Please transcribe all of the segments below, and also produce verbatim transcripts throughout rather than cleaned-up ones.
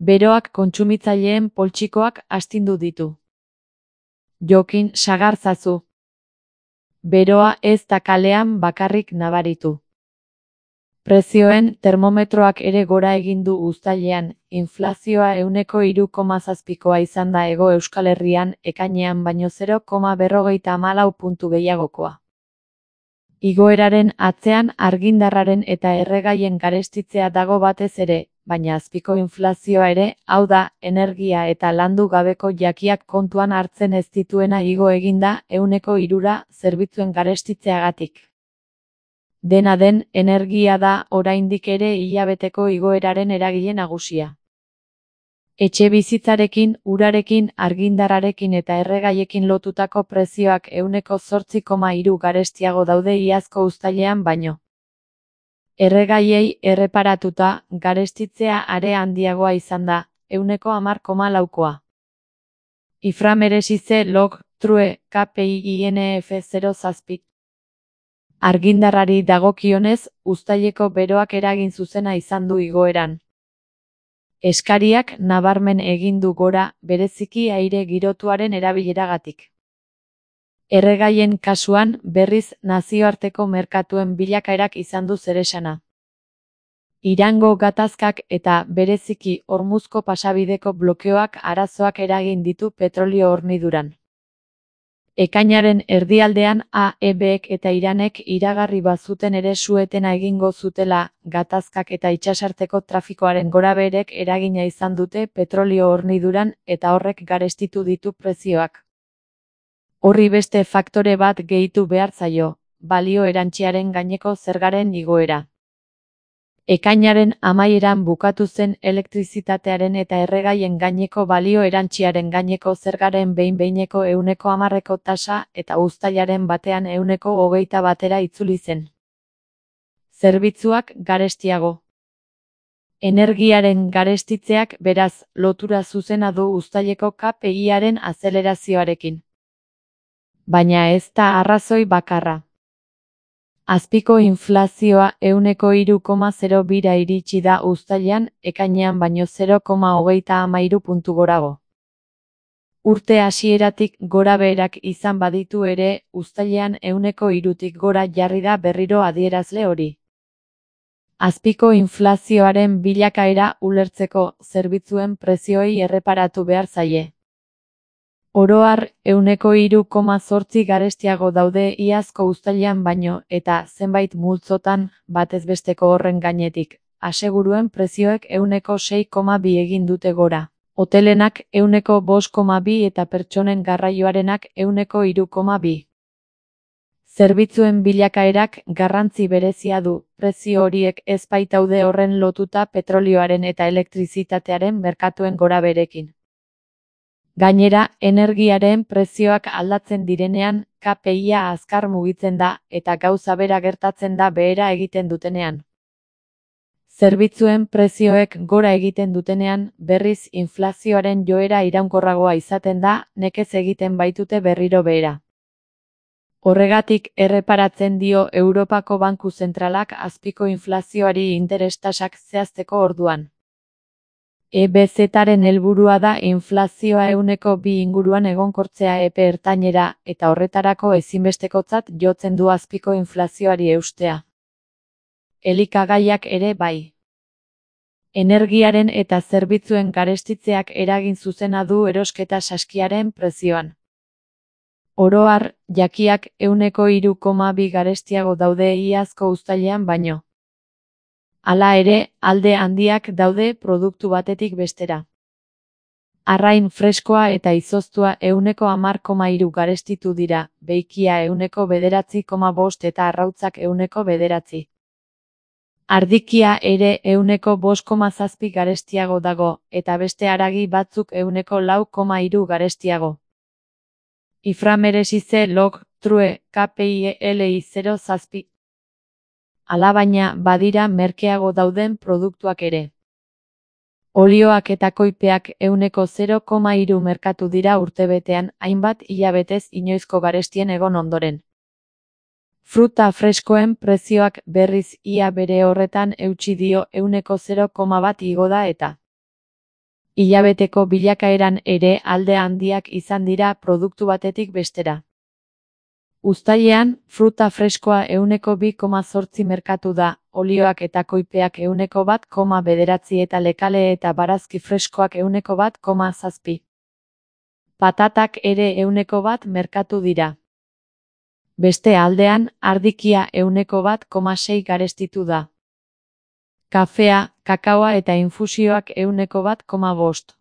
Beroak kontsumitzaileen poltsikoak astindu ditu. Jokin sagartzazu. Beroa ez da kalean bakarrik nabaritu. Prezioen termometroak ere gora egin du uztailean, inflazioa ehuneko hiru koma zazpikoa izan da Hego Euskal Herrian ekainean baino zero koma berrogeita hamalau puntu gehiagokoa. Igoeraren atzean argindarraren eta erregaien garestitzea dago batez ere, baina azpiko inflazioa ere, hau da, energia eta landu gabeko jakiak kontuan hartzen ez dituena igo eginda ehuneko hirura zerbitzuen garestitzeagatik. Dena den, energia da oraindik ere hilabeteko igoeraren eragile nagusia. Etxebizitzarekin, urarekin, argindarrarekin eta erregaiekin lotutako prezioak ehuneko zortzi koma hiru garestiago daude iazko uztailean baino. Erregaiei erreparatuta, garestitzea are handiagoa izan da, ehuneko hamar koma laukoa. Ifra meresize log, true, K P I I N F zero zazpi. Argindarrari dagokionez, uztaileko beroak eragin zuzena izan du igoeran. Eskariak nabarmen egin du gora, bereziki aire girotuaren erabileragatik. Erregaien kasuan, berriz, nazioarteko merkatuen bilakaerak izan du zeresana. Irango gatazkak eta, bereziki, Hormuzko pasabideko blokeoak arazoak eragin ditu petrolio horniduran. Ekainaren erdialdean A E Bek eta Iranek iragarri bazuten ere su-etena egingo zutela, gatazkak eta itsasarteko trafikoaren gorabeherek eragina izan dute petrolio horniduran eta horrek garestitu ditu prezioak. Horri beste faktore bat gehitu behar zaio, balio erantsiaren gaineko zergaren igoera. Ekainaren amaieran bukatu zen elektrizitatearen eta erregaien gaineko balio erantsiaren gaineko zergaren behin-behineko ehuneko hamarreko tasa eta uztailaren batean ehuneko hogeita batera itzuli zen. Zerbitzuak garestiago. Energiaren garestitzeak beraz lotura zuzena du uztaileko K P I-aren azelerazioarekin. Baina ez da arrazoi bakarra. Azpiko inflazioa ehuneko hiru koma zero bira iritsi da uztailean, ekainean baino zero koma hogeita hamairu puntu gorago. Urte hasieratik gorabeherak izan baditu ere, uztailean ehuneko hirutik gora jarri da berriro adierazle hori. Azpiko inflazioaren bilakaera ulertzeko zerbitzuen prezioei erreparatu behar zaie. Oro har, ehuneko hiru koma zortzi garestiago daude iazko uztailean baino, eta zenbait multzotan, batez besteko horren gainetik, aseguruen prezioek ehuneko sei koma bi egin dute gora. Hotelenak ehuneko bost koma bi eta pertsonen garraioarenak ehuneko hiru koma bi. Zerbitzuen bilakaerak garrantzi berezia du, prezio horiek ez baitaude horren lotuta petrolioaren eta elektrizitatearen merkatuen gorabeherekin. Gainera, energiaren prezioak aldatzen direnean, K P I-a azkar mugitzen da, eta gauza bera gertatzen da behera egiten dutenean. Zerbitzuen prezioek gora egiten dutenean, berriz inflazioaren joera iraunkorragoa izaten da, nekez egiten baitute berriro behera. Horregatik erreparatzen dio Europako Banku Zentralak azpiko inflazioari interes tasak zehazteko orduan. E B Z-aren helburua da inflazioa ehuneko bi inguruan egonkortzea epe ertainera, eta horretarako ezinbestekotzat jotzen du azpiko inflazioari eustea. Elikagaiak ere bai. Energiaren eta zerbitzuen garestitzeak eragin zuzena du erosketa saskiaren prezioan. Oro har, jakiak ehuneko hiru koma bi garestiago daude iazko uztailean baino. Hala ere, alde handiak daude produktu batetik bestera. Arrain freskoa eta izoztua ehuneko hamar koma hiru garestitu dira, beikia ehuneko bederatzi koma bost eta arrautzak ehuneko bederatzi. Ardikia ere ehuneko bost koma zazpi garestiago dago, eta beste haragi batzuk ehuneko lau koma hiru garestiago. Ifra meresize log, true, K P I L I zero zazpi. Alabaina, badira merkeago dauden produktuak ere. Olioak eta koipeak ehuneko zero koma hiru merkatu dira urtebetean, hainbat hilabetez inoizko garestien egon ondoren. Fruta freskoen prezioak berriz ia bere horretan eutsi dio ehuneko zero koma bat igo da eta Hilabeteko bilakaeran ere alde handiak izan dira produktu batetik bestera. Uztailean, fruta freskoa ehuneko bi koma zortzi merkatu da, olioak eta koipeak ehuneko bat koma bederatzi eta lekale eta barazki freskoak ehuneko bat koma zazpi. Patatak ere ehuneko bat merkatu dira. Beste aldean, ardikia ehuneko bat koma sei garestitu da. Kafea, kakaoa eta infusioak ehuneko bat koma bost.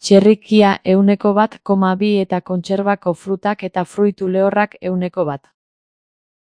Txerrikia ehuneko bat koma bi eta kontserbako frutak eta fruitu lehorrak ehuneko bat.